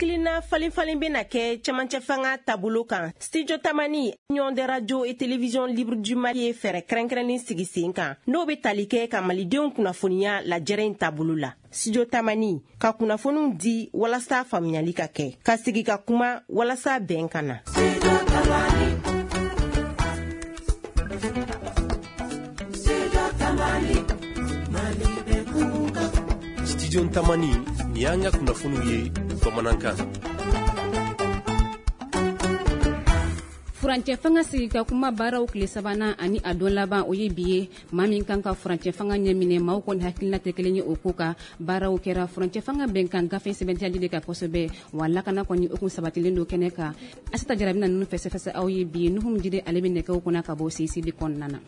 Hakilina falen-falen bɛna kɛ cɛmancɛ fanga taabolo kan. Studio Tamani, Union des radios et télévisions libres du Mali ye fɛɛrɛ kɛrɛnkɛrɛnnen sigi sen kan, n'o bɛ tali kɛ ka malidenw kunnafoniya lajɛrɛ in taabolo la. Studio Tamani ka kunnafoniw di walasa faamuyali ka kɛ, ka sigi ka kuma walasa bɛn ka na. Studio Tamani, nin y'an ka kunnafoniw ye bamanankan. Furancɛ fanga sigi ka kuma baaraw tile sabanan ani a don laban, o ye bi ye. Maa min kan ka furancɛ fanga ɲɛminɛ, maaw kɔni hakilina tɛ kelen ye o ko kan. Baaraw kɛra furancɛ fanga bɛnkan gafe sɛbɛntiyali de kan kosɛbɛ, wa lakana kɔni o kun sabatilen don kɛnɛ kan. Asita Jara bɛna ninnu fɛsɛfɛsɛ aw ye bi. Nuhum Jide, ale bɛ nɛgɛw kunna ka bɔ CCB kɔnɔna na.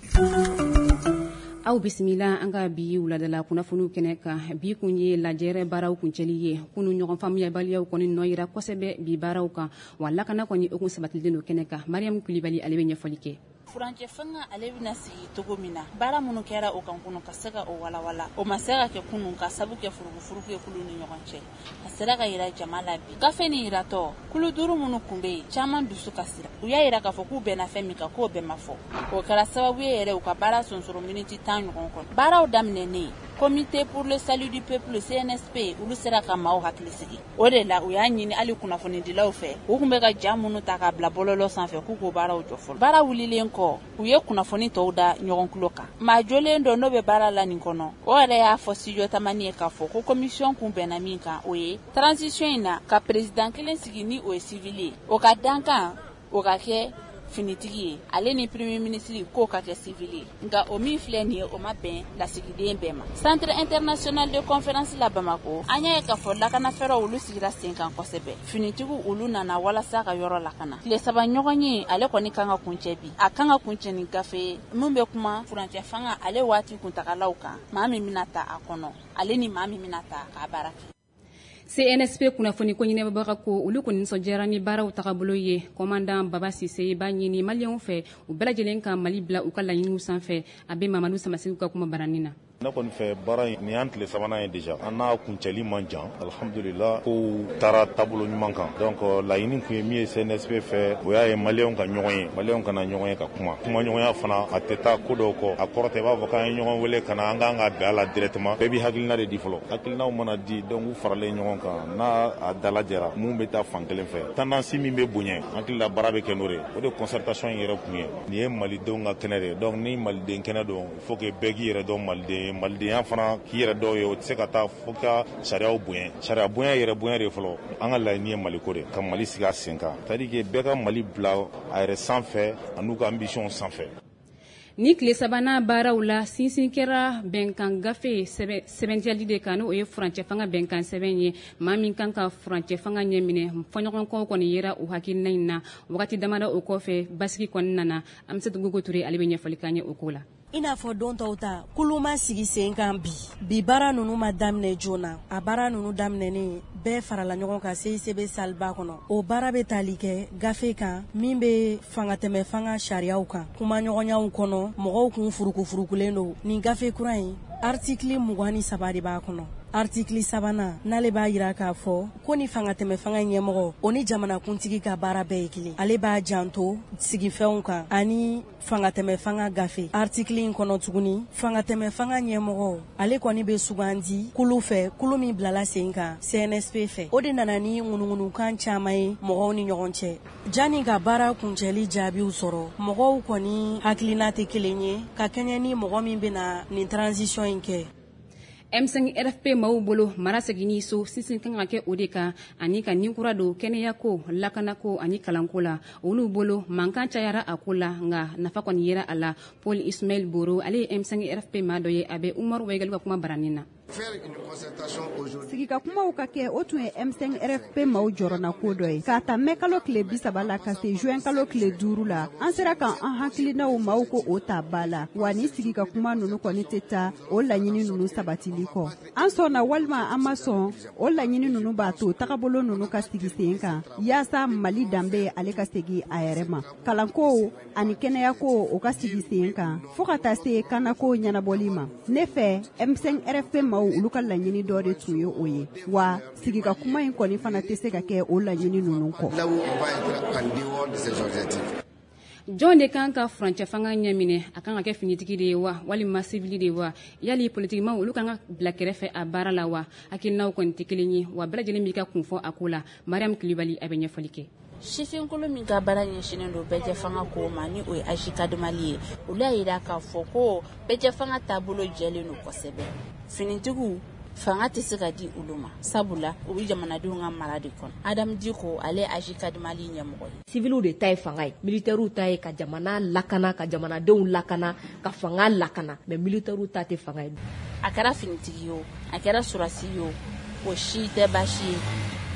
Aw bisimila an ka bi wuladala kunnafoniw kɛnɛ kan. Bi kun ye lajɛrɛ baaraw kuncɛli ye. Kunu ɲɔgɔn faamuyabaliyaw kɔni nɔ yira kosɛbɛ bi baaraw kan, wa lakana kɔni o kun sabatilen don kɛnɛ kan. Mariam Kulibali, ale bɛ ɲɛfɔli kɛ. Furancɛ fanga ale bɛna sigi cogo min na, baara minnu kɛra o kan kunu ka se ka o walawala, o ma se ka kɛ kunun ka sabu kɛ furugufurugu ye kulu ni ɲɔgɔn cɛ. A sera ka yira jama la bi. Gafe nin yiratɔ, kulu duuru minnu kun bɛ yen, caman dusu kasira. U y'a yira k'a fɔ k'u bɛnna fɛn min kan, k'o bɛɛ ma fɔ. O kɛra sababu ye yɛrɛ u ka baara sonsoro miniti 10 ɲɔgɔn kɔnɔ. Baaraw daminɛnen, Comité pour le salut du peuple, CNSP, olu sera ka maaw hakili sigi. O de la u y'a ɲini hali kunnafonidilaw fɛ, u tun bɛ ka ja minnu ta k'a bila bɔlɔlɔ sanfɛ, k'u k'o baaraw jɔ fɔlɔ. Baara wulilen kɔ, u ye kunnafoni tɔw da ɲɔgɔn tulo kan. Maa jolen dɔ n'o bɛ baara la nin kɔnɔ, o yɛrɛ y'a fɔ Studio Tamani ye k'a fɔ ko commission kun bɛnna min kan, o ye transition in na ka président kelen sigi ni o ye civil ye, o ka dankan o ka kɛ finitigi ye, ale ni premier ministre k'o ka kɛ civil ye. Nka o min filɛ nin ye, o ma bɛn lasigiden bɛɛ ma. Centre international de conférence la Bamako, an y'a ye k'a fɔ lakanafɛɛrɛw olu sigira sen kan kosɛbɛ. Finitigiw olu nana walasa ka yɔrɔ lakana. Tile saba ɲɔgɔn ye, ale kɔni kan ka kuncɛ bi. A kan ka kuncɛ ni gafe ye min bɛ kuma furancɛ fanga ale waati kuntagalaw kan, maa min bɛna ta a kɔnɔ, ale ni maa min bɛna ta k'a baara kɛ. CNSP kunnafoni ko ɲɛnabɔbaga ko olu kɔni nisɔndiyara ni baaraw tagabolo ye. Commandant Baba Sise b'a ɲini maliyɛnw fɛ, u bɛɛ lajɛlen ka Mali bila u ka laɲiniw sanfɛ. A bɛ Mamadu Samasegu ka kuma baranin na. Ne kɔni fɛ, baara in, nin y'an tile sabanan ye déjà, an n'a kuncɛli man jan. Alhamdulillah, kow taara taabolo ɲuman kan. Donc laɲini kun ye min ye CNSP fɛ, o y'a ye maliyɛnw ka ɲɔgɔn ye, maliyɛnw kana ɲɔgɔn ye ka kuma. Kumaɲɔgɔnya fana, a tɛ taa ko dɔw kɔ. A kɔrɔ tɛ i b'a fɔ k'an ye ɲɔgɔn wele ka na, an kan ka bɛn a la directement. Bɛɛ b'i hakilina de di fɔlɔ. Hakilinaw mana di, donc u faralen ɲɔgɔn kan, n'a a dalajɛra, mun bɛ taa fan kelen fɛ, tendance min bɛ bonya, hakili la baara bɛ kɛ n'o de ye. O de concertation in yɛrɛ kun ye nin ye malidenw ka kɛnɛ de ye. Donc ni maliden kɛnɛ don, il faut que bɛɛ k'i yɛrɛ dɔn maliden ye. Malidenya fana, k'i yɛrɛ dɔw ye, o tɛ se ka taa fo ka sariyaw bonya. Sariya bonya, yɛrɛ bonya de fɔlɔ. An ka laɲini ye maliko de, ka Mali sigi a sen kan, c'est à dire que bɛɛ ka Mali bila a yɛrɛ sanfɛ an'u ka ambition sanfɛ. Ni tile sabanan baaraw la, sinsin kɛra bɛnkan gafe sɛbɛntiyali de kan, n'o ye furancɛ fanga bɛnkan sɛbɛn ye. Maa min kan ka furancɛ fanga ɲɛminɛ, fɔɲɔgɔnkɔw kɔni yera o hakilina in na. Wagati damadɔ o kɔfɛ, basigi kɔni nana. Amisatu Gogo Ture, ale bɛ ɲɛfɔli k'an ye o ko la. I n'a fɔ don tɔw ta, kulu ma sigi sen kan bi. Bi baara ninnu ma daminɛ joona. A baara ninnu daminɛnen, bɛɛ farala ɲɔgɔn kan CICB saliba kɔnɔ. O baara bɛ tali kɛ gafe kan min bɛ fangatɛmɛ fanga sariyaw kan. Kumaɲɔgɔnyaw kɔnɔ, mɔgɔw kun furukufurukulen don. Nin gafe kura in, article 23 de b'a kɔnɔ. Article sabanan n'ale b'a yira k'a fɔ ko ni fangatɛmɛ fanga ɲɛmɔgɔ, o ni jamanakuntigi ka baara bɛɛ ye kelen. Ale b'a janto sigifɛnw kan ani fangatɛmɛ fanga gafe. Article in kɔnɔ tuguni, fangatɛmɛ fanga ɲɛmɔgɔ, ale kɔni bɛ sugandi kulu fɛ, kulu min bilala sen kan CNSP fɛ. O de nana ni ŋunuŋunukan caman ye mɔgɔw ni ɲɔgɔn cɛ. Janni ka baara kuncɛli jaabiw sɔrɔ, mɔgɔw kɔni hakilina tɛ kelen ye ka kɛɲɛ ni mɔgɔ min bɛna nin transition in kɛ. M5 RFP maaw bolo, mara seginni so, sinsin kan ka kɛ o de kan, ani ka nin kura don kɛnɛyako, lakanako ani kalanko la. Olu bolo, mankan cayara a ko la, nka nafa kɔni yera a la. Paul Ismaël Boro, ale ye M5 RFP maa dɔ ye, a bɛ Umaru Waigali ka kuma baranin na. Sigika kumaw ka kɛ, o tun ye M5 RFP maaw jɔrɔna ko dɔ ye. K'a ta mɛ kalo tile 30 la ka se juin kalo tile 5 la, an sera ka an hakilinaw maaw ko o ta ba la. Wa ni sigika kuma ninnu kɔni tɛ taa o laɲini ninnu sabatili kɔ. An sɔnna walima an ma sɔn, o laɲini ninnu b'a to tagabolo ninnu ka sigi sen kan, yaasa Mali danbe ale ka segin a yɛrɛ ma. Kalanko ani kɛnɛyako, o ka sigi sen kan, fo ka taa se kanako ɲɛnabɔli ma. Ne fɛ, M5 RFP maaw olu ka laɲini dɔ de tun ye o ye, wa sigika kuma in kɔni fana tɛ se ka kɛ o laɲini ninnu kɔ. Jɔn de kan ka furancɛ fanga ɲɛminɛ? A kan ka kɛ finitigi de ye wa, walima sivili de ye wa? Yali politikimaw olu kan ka bila kɛrɛfɛ a baara la wa? Hakilinaw kɔni tɛ kelen ye, wa bɛɛ lajɛlen b'i ka kun fɔ a ko la. Mariam Kulibali a bɛ ɲɛfɔli kɛ. Sifinkolo min ka baara ɲɛsinnen don bɛɛjɛ fanga ko ma, ni o ye AJCAD Mali ye, olu y'a jira k'a fɔ ko bɛɛjɛ fanga taabolo jɛlen don kosɛbɛ. Finitigiw fanga tɛ se ka di olu ma, sabula u bɛ jamanadenw ka mara de kɔnɔ. Adamu Diko, ale ye AJCAD Mali ɲɛmɔgɔ ye. Civiliw de ta ye fanga ye, militaires ta ye ka jamana lakana, ka jamanadenw lakana, ka fanga lakana, mais militaires ta tɛ fanga ye. A kɛra finitigi ye o, a kɛra sɔrɔdasi ye o, o si tɛ baasi ye.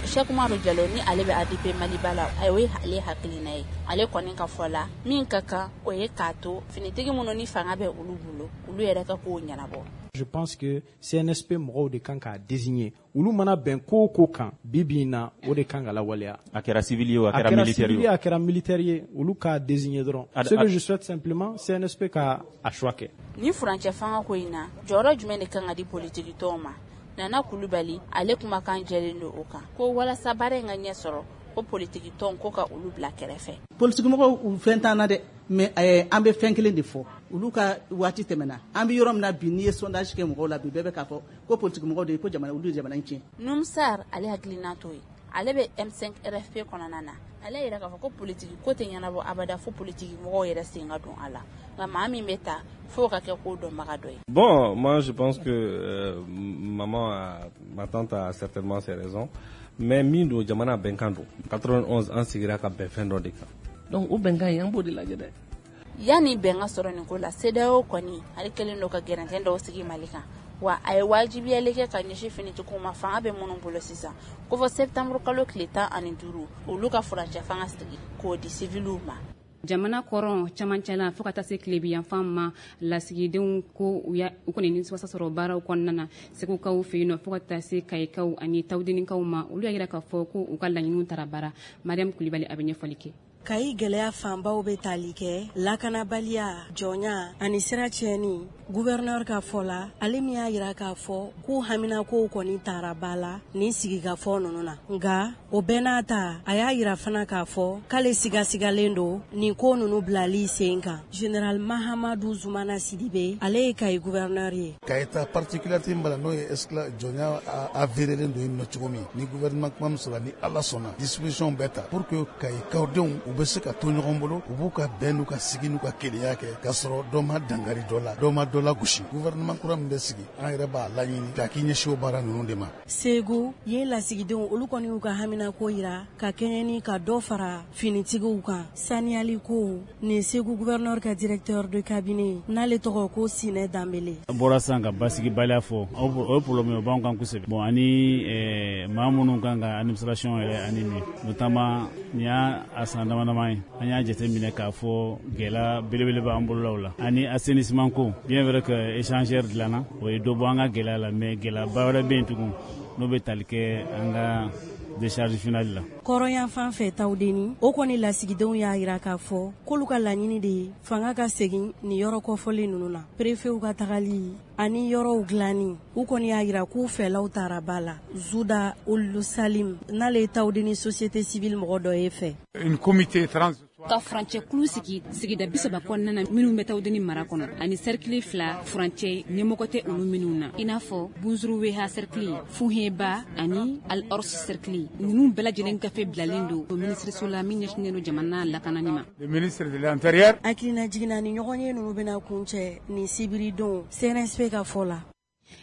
Cheikh Umaru Jalo, ni ale bɛ ADP Maliba la, o ye ale hakilina ye. Ale kɔni ka fɔ la, min ka kan, o ye k'a to finitigi minnu ni fanga bɛ olu bolo, olu yɛrɛ ka kow ɲɛnabɔ. Je pense que CNSP mɔgɔw de kan k'a désigner. Olu mana bɛn ko o ko kan bi bi in na, o de kan ka lawaleya. A kɛra civil ye o, a kɛra militaire ye o, a kɛra militaire ye, olu k'a désigner dɔrɔn. Ce que je souhaite simplement, CNSP ka a choix kɛ. Ni furancɛ fanga ko in na, jɔyɔrɔ jumɛn de kan ka di politiki tɔnw ma? Nana Kulubali, ale kumakan jɛlen don o kan, ko walasa baara in ka ɲɛ sɔrɔ, ko politiki tɔn ko ka olu bila kɛrɛfɛ. Politikimɔgɔw u fɛn t'an na dɛ, mais an bɛ fɛn kelen de fɔ, olu ka waati tɛmɛna. An bɛ yɔrɔ min na bi, n'i ye sondage kɛ mɔgɔw la bi, bɛɛ bɛ k'a fɔ ko politikimɔgɔw de ye ko jamana, olu ye jamana in tiɲɛ. Numsar, ale hakilina t'o ye. Ale bɛ M5 RFP kɔnɔna na. Ale yɛrɛ k'a fɔ ko politiki ko tɛ ɲɛnabɔ abada fo politiki mɔgɔw yɛrɛ sen ka don a la, nka maa min bɛ ta fo ka kɛ ko dɔnbaga dɔ ye. Bon, moi je pense que maman a, ma tante a certainement ses raisons, mais min don, jamana bɛnkan don. 91 an sigira ka bɛn fɛn dɔ de kan, donc o bɛnkan in, an b'o de lajɛ dɛ. Yanni bɛn ka sɔrɔ nin ko la, CEDEAO kɔni ale kɛlen don ka gɛrɛntɛn dɔw sigi Mali kan, wa a ye wajibiyali kɛ ka ɲɛsin finitigiw ma, fanga bɛ minnu bolo sisan, ko fɔ septembre kalo tile 15, olu ka furancɛ fanga sigi k'o di civiliw ma. Jamana kɔrɔn camancɛ la fo ka taa se tilebiyanfan ma, lasigidenw ko u kɔni nimisiwasa sɔrɔ baaraw kɔnɔna na. Segukaw fɛ yen nɔ fo ka taa se kayikaw ani tawudenikaw ma, olu y'a jira k'a fɔ ko u ka laɲiniw taara baara. Mariam Kulibali a bɛ ɲɛfɔli kɛ. Kayi gɛlɛya fanbaw bɛ tali kɛ lakanabaliya, jɔnya ani sira tiɲɛni. Gouverneur ka fɔ la, ale min y'a jira k'a fɔ k'u haminakow kɔni taara ba la nin sigikafɔ ninnu na, nka o bɛɛ n'a ta, a y'a jira fana k'a fɔ k'ale sigasigalen don nin ko ninnu bilali sen kan. Général Mahamadu Zumana Sidibe, ale ye Kayi gouverneur ye. Kayi ta particularité min b'a la, n'o ye esclave jɔnya avéré don yen nɔ cogo min, ni gouvernement kuma min sɔrɔ, ni Ala sɔnna, disposition bɛɛ ta pour que Kayikadenw u bɛ se ka to ɲɔgɔn bolo, u b'u ka bɛn n'u ka sigi n'u ka kelenya kɛ, k'a sɔrɔ dɔ ma dangari dɔ la, dɔ ma dɔ la gosi. Gouvernement kura min bɛ sigi, an yɛrɛ b'a laɲini k'a k'i ɲɛsin o baara ninnu de ma. Segu yen lasigidenw, olu kɔni y'u ka haminako yira ka kɛɲɛ ni ka dɔ fara finitigiw kan saniyali ko. Nin Segu gouverneur ka directeur de cabinet, n'ale tɔgɔ ko Sinɛ Danbele. An bɔra sisan ka basigibaliya fɔ, o ye problème ye, o b'anw kan kosɛbɛ. Bon, ani maa minnu kan ka administration yɛrɛ animer, notamment nin y'a a san dama dama ye, an y'a jateminɛ k'a fɔ gɛlɛya belebele b'an bololaw la, ani assainissement ko. Bien vrai que échangeur dilanna, o ye dɔ bɔ an ka gɛlɛya la, mais gɛlɛyaba wɛrɛ bɛ yen tugun, n'o bɛ tali kɛ an ka décharge finale la. Kɔrɔyan fan fɛ Tawudeni, o kɔni lasigidenw y'a jira k'a fɔ k'olu ka laɲini de ye fanga ka segin nin yɔrɔ kɔfɔlen ninnu na, préfetw ka tagali ani yɔrɔw dilanni. U kɔni y'a jira k'u fɛlaw taara ba la. Zuda Olu Salim, n'ale ye Tawudeni société civile mɔgɔ dɔ ye fɛ. Une comité trans Ka furancɛ kulu sigi sigida 30 kɔnɔna na minnu bɛ Tawudeni mara kɔnɔ, ani cercle fila, furancɛ ɲɛmɔgɔ tɛ olu minnu na, i n'a fɔ Bunzuruweha cercle, Funheba ani Al Ors cercle. Ninnu bɛɛ lajɛlen gafe bilalen don minisiriso la min ɲɛsinnen don jamana lakanani ma. Le ministre de l'Intérieur. Hakilina jiginna ni ɲɔgɔn ye ninnu bɛna kuncɛ nin sibiridon, CNSP ka fɔ la.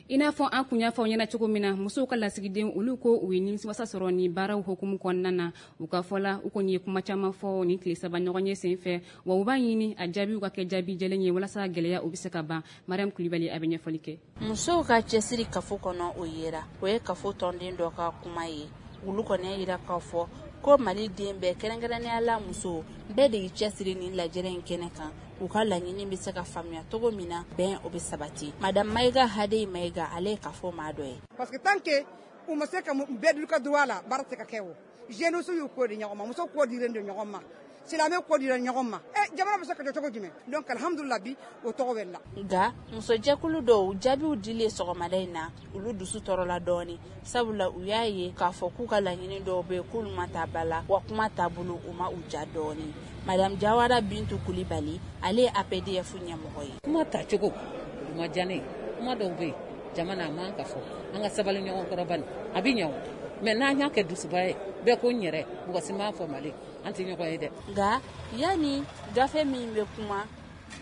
I n'a fɔ an kun y'a fɔ aw ɲɛna cogo min na, musow ka lasigiden, olu ko u ye nimisiwasa sɔrɔ ni baaraw hukumu kɔnɔna na. U ka fɔ la, u kɔni ye kuma caman fɔ nin tile 3 ɲɔgɔn ye sen fɛ, wa u b'a ɲini a jaabiw ka kɛ jaabi jɛlen ye walasa gɛlɛya o bɛ se ka ban. Mariam Kulibali a bɛ ɲɛfɔli kɛ. Musow ka cɛsiri kafo kɔnɔ, o yera, o ye kafo tɔnden dɔ ka kuma ye. Olu kɔni y'a jira k'a fɔ ko Mali den bɛɛ, kɛrɛnkɛrɛnnenya la muso bɛɛ de y'i cɛsiri nin lajɛrɛ in kɛnɛ kan, u ka laɲini bɛ se ka faamuya cogo min na, bɛn o bɛ sabati. Madame Mayiga Hadeyi Mayiga, ale ye kafo maa dɔ ye. Parce que tant que u ma se ka bɛɛ dun ka droit la, baara tɛ ka kɛ. O jeunes y'u ko di ɲɔgɔn ma, muso ko dilen don ɲɔgɔn ma. Silamɛ kɔ dira ɲɔgɔn ma. Jamana bɛ se ka jɔ cogo jumɛn? Donc alhamdulillah bi o tɔgɔ bɛ la. Nka musojɛkulu dɔw jaabiw dilen sɔgɔmada in na, olu dusu tɔɔrɔla dɔɔni, sabula u y'a ye k'a fɔ k'u ka laɲini dɔw bɛ yen k'olu ma taa ba la, wa kuma taabolo u ma u ja dɔɔni. Madame Jawara Bintu Kulibali, ale ye APDF ɲɛmɔgɔ ye. Kuma tacogo u ma diya ne ye. Kuma dɔw bɛ yen jama na a man ka fɔ, an ka sabali ɲɔgɔn kɔrɔ bani, a bɛ ɲɛ o. Mais n'an y'a kɛ dusuba ye, bɛɛ ko n yɛrɛ, mɔgɔ si m'a fɔ Mali, an tɛ ɲɔgɔn ye dɛ. Nka yanni gafe min bɛ kuma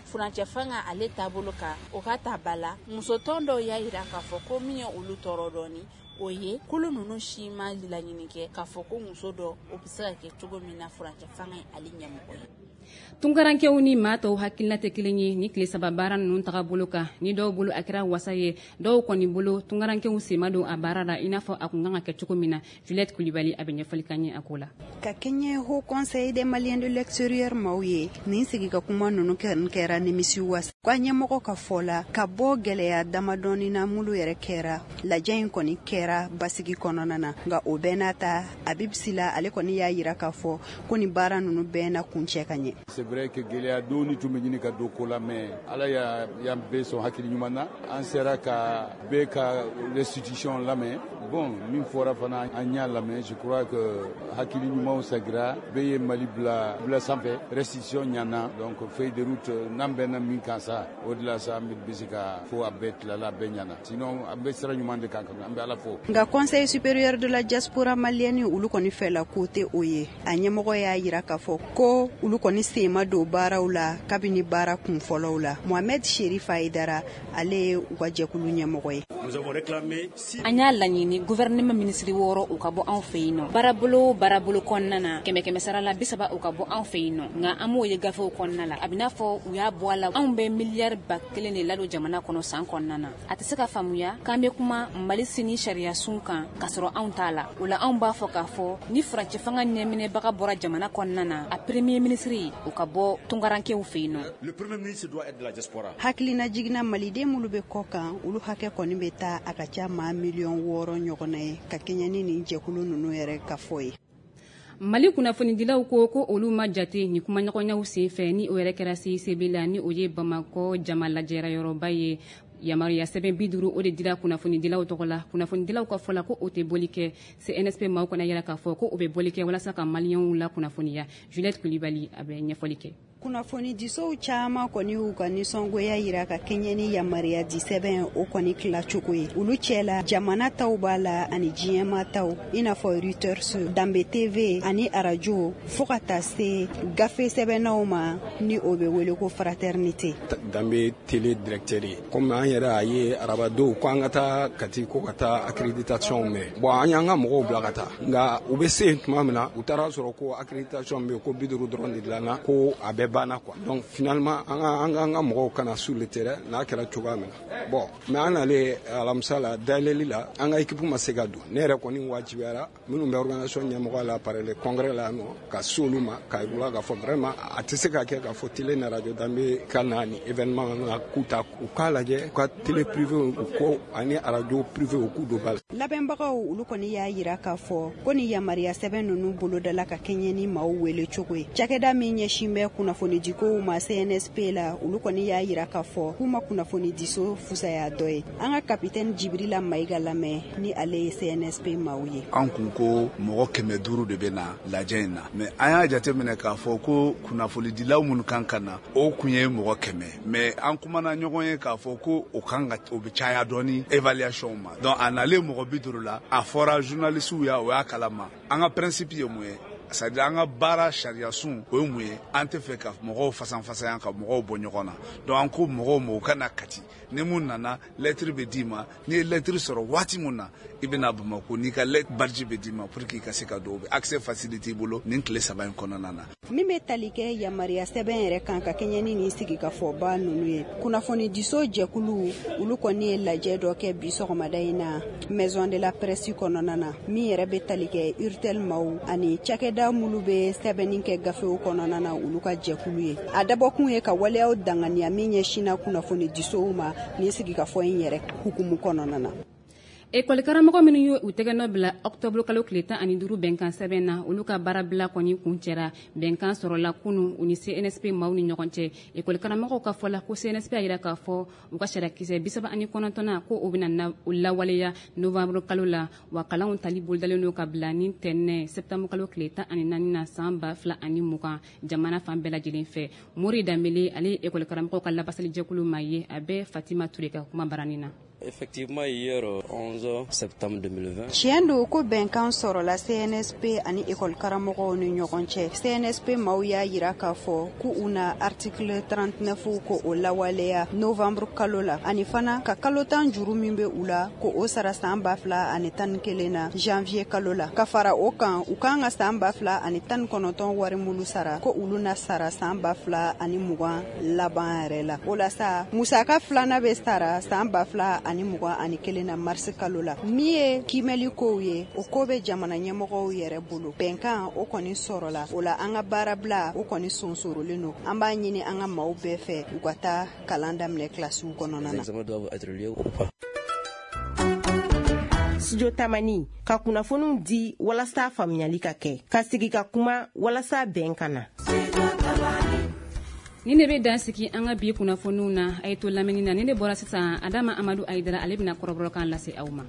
furancɛ fanga ale taabolo kan, o ka ta ba la, musotɔn dɔw y'a jira k'a fɔ ko min ye olu tɔɔrɔ dɔɔni, o ye kulu ninnu si ma laɲini kɛ k'a fɔ ko muso dɔ o bɛ se ka kɛ cogo min na furancɛ fanga ye ale ɲɛmɔgɔ ye. Tunkarankew ni maa tɔw hakilina tɛ kelen ye ni tile 3 baara ninnu tagabolo kan. Ni dɔw bolo a kɛra wasa ye, dɔw kɔni bolo tunkarankew sen ma don a baara la i n'a fɔ a kun kan ka kɛ cogo min na. Juliette Kulibali a bɛ ɲɛfɔli k'an ye a ko la. Ka kɛɲɛ Haut Conseil des Maliens de l'extérieur maaw ye, nin sigi ka kuma ninnu kɛra nimisi wasa. Ka ɲɛmɔgɔ ka fɔ la, ka bɔ gɛlɛya damadɔni na minnu yɛrɛ kɛra, lajɛ in kɔni kɛra basigi kɔnɔna na. Nka o bɛɛ n'a ta, Habib Sila ale kɔni y'a yira k'a fɔ ko nin baara ninnu bɛɛ na kuncɛ ka ɲɛ. C'est vrai que gɛlɛya dɔɔni tun bɛ ɲini ka don ko la, mais Ala y'an bɛɛ sɔn hakili ɲuman na, an sera ka bɛɛ ka restitution lamɛn. Bon, min fɔra fana, an y'a lamɛn. Je crois que hakili ɲumanw sagira, bɛɛ ye Mali bila bila sanfɛ, restitution ɲana. Donc feuille de route n'an bɛnna min kan sa, o de la sa an bɛ se ka fo a bɛɛ tilala, a bɛɛ ɲana. Sinon an bɛ sira ɲuman de kan, an bɛ Ala fo. Nka Conseil supérieur de la diaspora malienne, olu kɔni fɛla ko tɛ o ye. A ɲɛmɔgɔ y'a yira k'a fɔ ko olu kɔni sen ma don baaraw la kabini baara kun fɔlɔw la. Mohamed Sherif Aidara, ale ye u ka jɛkulu ɲɛmɔgɔ ye. An y'a laɲini gouvernement ministre 6 u ka bɔ anw fɛ yen nɔ, baarabolo baarabolo kɔnɔna na, 100 sara la 30 u ka bɔ anw fɛ yen nɔ. Nka an m'o ye gafew kɔnɔna la, a bɛ n'a fɔ u y'a bɔ a la. Anw bɛ miliyari 1000 de ladon jamana kɔnɔ san kɔnɔna na. A tɛ se ka faamuya k'an bɛ kuma Mali sini sariya sun kan k'a sɔrɔ anw t'a la. O la anw b'a fɔ k'a fɔ ni furancɛ fanga ɲɛminɛbaga bɔra jamana kɔnɔna na, a premier ministre o ka bɔ tunkarankew fɛ yen nɔ. Hakilina jiginna, maliden minnu bɛ kɔ kan, olu hakɛ kɔni bɛ taa a ka ca maa miliyɔn 6 ɲɔgɔnna ye, ka kɛɲɛ ni nin jɛkulu ninnu yɛrɛ ka fɔ ye. Mali kunnafonidilaw ko olu ma jate ni kumaɲɔgɔnyaw sen fɛ, ni o yɛrɛ kɛra CICB la, ni o ye Bamakɔ jama lajɛra yɔrɔba ye. Yamaruya sɛbɛn 50 o de dira kunnafonidilaw tɔgɔ la. Kunnafonidilaw ka fɔ la ko o tɛ bɔli kɛ. CNSP maaw kɔni yira k'a fɔ ko o bɛ bɔli kɛ walasa ka maliyɛnw la kunnafoniya. Juliette Kulibali a bɛ ɲɛfɔli kɛ. Kunnafonidisow caman kɔni y'u ka nisɔngoya yira ka kɛɲɛ ni yamaruya di sɛbɛn o kɔni tilacogo ye. Olu cɛla, jamana taw b'a la ani diɲɛma taw, i n'a fɔ Reuters, Danbe TV ani arajo, fo ka taa se gafe sɛbɛnnaw ma, ni o bɛ wele ko Fraternité. Danbe Télé directeur ye, komi an yɛrɛ a ye arabadow ko an ka taa Kati, ko ka taa accréditation mɛn. Bon, an y'an ka mɔgɔw bila ka taa, nka u bɛ se yen tuma min na, u taara sɔrɔ ko accréditation bɛ yen, ko 50 dɔrɔn de dilanna, ko a bɛɛ banna quoi. Donc finalement an ka mɔgɔw kana sur le terrain n'a kɛra cogoya min na. Bon, mais an nalen alamisa la dayɛlɛli la, an ka équipe ma se ka don. Ne yɛrɛ kɔni wajibiyara minnu bɛ organisation ɲɛmɔgɔ la par le congrès la nɔ, ka se olu ma k'a yir'u la k'a fɔ vraiment a tɛ se ka kɛ k'a fɔ télé ni radio Danbe ka na ni événement na k'u ta, u k'a lajɛ u ka télé privé u ko ani radio privé u k'u don ba la. Labɛnbagaw, olu kɔni y'a yira k'a fɔ ko ni yamaruya sɛbɛn ninnu bolodala ka kɛɲɛ ni maaw wele cogo ye. Cakɛda min ɲɛsin bɛ kunnafonidikow ma CNSP la, olu kɔni y'a yira k'a fɔ k'u ma kunnafonidiso fusaya dɔ ye. An ka capitaine Jibrila Mayiga lamɛn, ni ale ye CNSP maaw ye. An kun ko mɔgɔ 500 de bɛ na lajɛ in na, mais an y'a jateminɛ k'a fɔ ko kunnafonidilaw minnu kan ka na, o kun ye mɔgɔ 100, mais an kumana ɲɔgɔn ye k'a fɔ ko o kan ka o bɛ caya dɔɔni évaluation ma. Donc a nalen mɔgɔ 50 la, a fɔra journalistes ya, o y'a kalama. An ka principe ye mun ye? C'est à dire an ka baara sariya sun o ye mun ye? An tɛ fɛ ka mɔgɔw fasanfasaya, ka mɔgɔw bɔ ɲɔgɔn na. Donc an ko mɔgɔw ma u ka na Kati, ni mun nana, lettre bɛ d'i ma. N'i ye lettre sɔrɔ waati mun na, i bɛna Bamakɔ, n'i ka lettre badge bɛ d'i ma pour que i ka se ka don, o bɛ accès facilité i bolo nin tile 3 in kɔnɔna na. Min bɛ tali kɛ yamaruya sɛbɛn yɛrɛ kan ka kɛɲɛ ni nin sigikafɔba ninnu ye, kunnafonidiso jɛkulu olu kɔni ye lajɛ dɔ kɛ bi sɔgɔmada in na maison de la presse kɔnɔna na, min yɛrɛ bɛ tali kɛ Urtel maaw ani cakɛda minnu bɛ sɛbɛnni kɛ gafew kɔnɔna na, olu ka jɛkulu ye. A dabɔkun ye ka waleyaw danganiya min ɲɛsinna kunnafonidisow ma nin sigikafɔ in yɛrɛ hukumu kɔnɔna na. Ekɔlikaramɔgɔ minnu ye u tɛgɛnɔ bila ɔkutɔburu kalo tile 15 bɛnkan sɛbɛn na, olu ka baarabila kɔni kuncɛra. Bɛnkan sɔrɔla kunun u ni CNSP maaw ni ɲɔgɔn cɛ. Ekɔlikaramɔgɔw ka fɔ la ko CNSP y'a jira k'a fɔ u ka sariyakisɛ 39nan ko o bɛna lawaleya novembre kalo la, wa kalanw tali bolodalen don ka bila ni tɛnɛn septembre kalo tile 14 na san 2020 jamana fan bɛɛ lajɛlen fɛ. Mori Danbele, ale ye ekɔlikaramɔgɔw ka lafasalijɛkulu maa ye, a bɛ Fatima Ture ka kuma baranin na. Effectivement, hier 11 septembre 2020. Tiɲɛ don ko bɛnkan sɔrɔla CNSP ani école karamɔgɔw ni ɲɔgɔn cɛ. CNSP maaw y'a jira k'a fɔ k'u u na article 39 ko o lawaleya novembre kalo la, ani fana ka kalo 10 juru min bɛ u la ko o sara san 2011 na janvier kalo la. Ka fara o kan, u kan ka san 2019 wari minnu sara ko olu na sara san 2020 laban yɛrɛ la. O la sa, musaka filanan bɛ sara san 2021 na mars kalo la. Min ye kiimɛli kow ye, o ko bɛ jamana ɲɛmɔgɔw yɛrɛ bolo. Bɛnkan o kɔni sɔrɔla, o la an ka baarabila o kɔni sonsorolen don. An b'a ɲini an ka maaw bɛɛ fɛ u ka taa kalan daminɛ kilasiw kɔnɔna na. Studio Tamani ka kunnafoniw di walasa faamuyali ka kɛ, ka sigi ka kuma walasa bɛn ka na. Ni ne bɛ dan sigi an ka bi kunnafoniw na, a ye to lamɛnni na. Ni ne bɔra sisan, Adama Amadu Ayidara, ale bɛna kɔrɔbɔrɔkan lase aw ma.